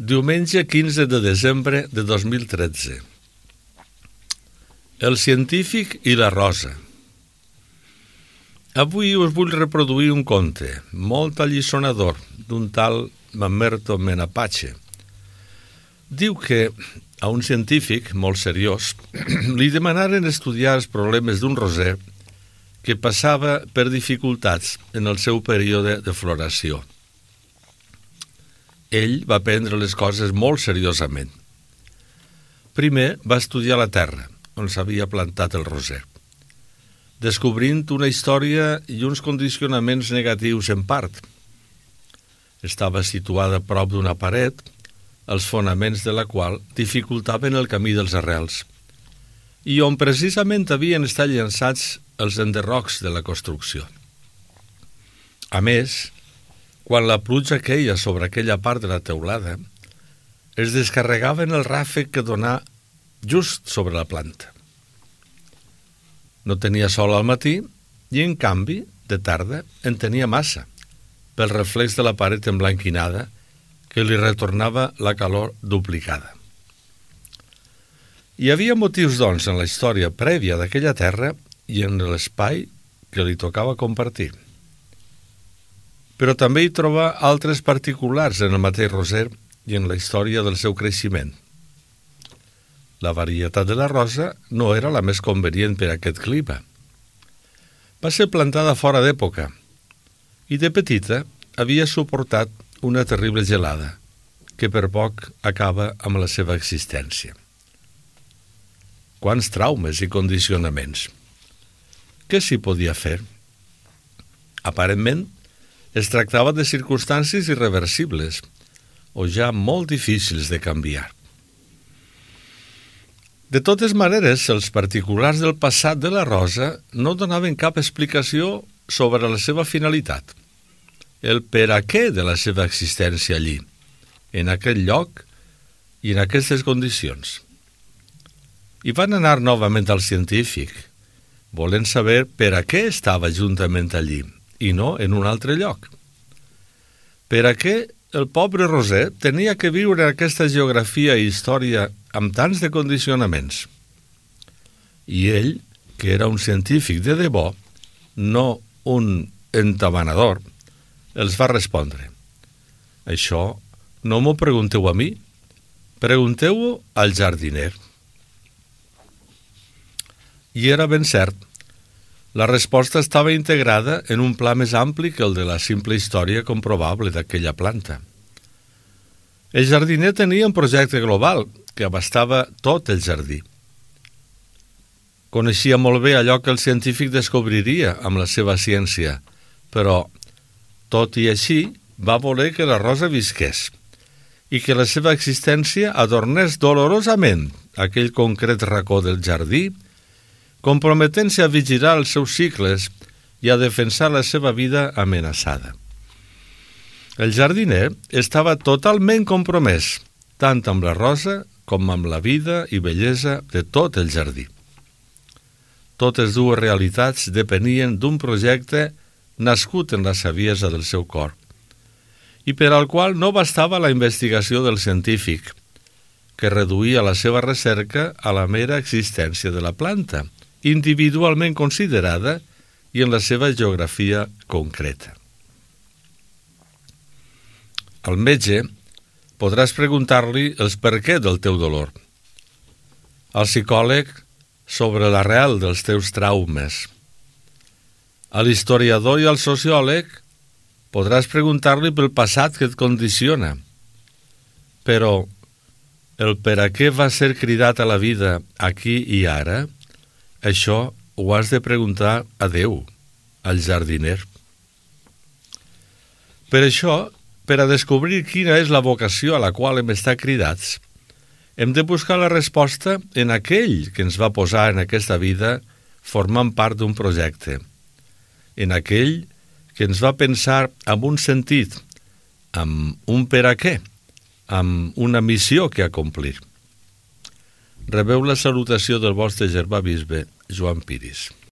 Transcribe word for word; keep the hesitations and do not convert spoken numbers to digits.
Diumenge quinze de desembre de dos mil tretze. El científic i la rosa. Avui us vull reproduir un conte molt alliçonador d'un tal Mamerto Menapace. Diu que a un científic molt seriós li demanaren estudiar els problemes d'un roser que passava per dificultats en el seu període de floració. Ell va prendre les coses molt seriosament. Primer va estudiar la terra, on s'havia plantat el roser, descobrint una història i uns condicionaments negatius en part. Estava situada a prop d'una paret, els fonaments de la qual dificultaven el camí dels arrels, i on precisament havien estat llançats els enderrocs de la construcció. A més, quan la pluja queia sobre aquella part de la teulada, es descarregava en el ràfec que donà just sobre la planta. No tenia sol al matí i, en canvi, de tarda en tenia massa, pel reflex de la paret emblanquinada que li retornava la calor duplicada. Hi havia motius, doncs, en la història prèvia d'aquella terra i en l'espai que li tocava compartir. Però també hi troba altres particulars en el mateix roser i en la història del seu creixement. La varietat de la rosa no era la més convenient per a aquest clima. Va ser plantada fora d'època i de petita havia suportat una terrible gelada que per poc acaba amb la seva existència. Quants traumes i condicionaments! Què s'hi podia fer? Aparentment, es tractava de circumstàncies irreversibles o ja molt difícils de canviar. De totes maneres, els particulars del passat de la rosa no donaven cap explicació sobre la seva finalitat, el per a què de la seva existència allí, en aquell lloc i en aquestes condicions. I van anar novament al científic, volent saber per a què estava juntament allí, i no en un altre lloc. Per a què el pobre roser tenia que viure en aquesta geografia i història amb tants de condicionaments? I ell, que era un científic de debò, no un entabanador, els va respondre: això no m'ho pregunteu a mi, pregunteu-ho al jardiner. I era ben cert. La resposta estava integrada en un pla més ampli que el de la simple història comprovable d'aquella planta. El jardiner tenia un projecte global que abastava tot el jardí. Coneixia molt bé allò que el científic descobriria amb la seva ciència, però, tot i així, va voler que la rosa visqués i que la seva existència adornés dolorosament aquell concret racó del jardí, comprometent-se a vigilar els seus cicles i a defensar la seva vida amenaçada. El jardiner estava totalment compromès, tant amb la rosa com amb la vida i bellesa de tot el jardí. Totes dues realitats depenien d'un projecte nascut en la saviesa del seu cor, i per al qual no bastava la investigació del científic, que reduïa la seva recerca a la mera existència de la planta, individualment considerada i en la seva geografia concreta. Al metge podràs preguntar-li els per què del teu dolor. Al psicòleg sobre l'arrel dels teus traumes. A l'historiador i al sociòleg podràs preguntar-li pel passat que et condiciona. Però el per a què va ser cridat a la vida aquí i ara, això ho has de preguntar a Déu, al jardiner. Per això, per a descobrir quina és la vocació a la qual hem estat cridats, hem de buscar la resposta en aquell que ens va posar en aquesta vida formant part d'un projecte, en aquell que ens va pensar amb un sentit, amb un per a què, amb una missió que acomplir. Rebeu la salutació del vostre germà bisbe, Joan Piris.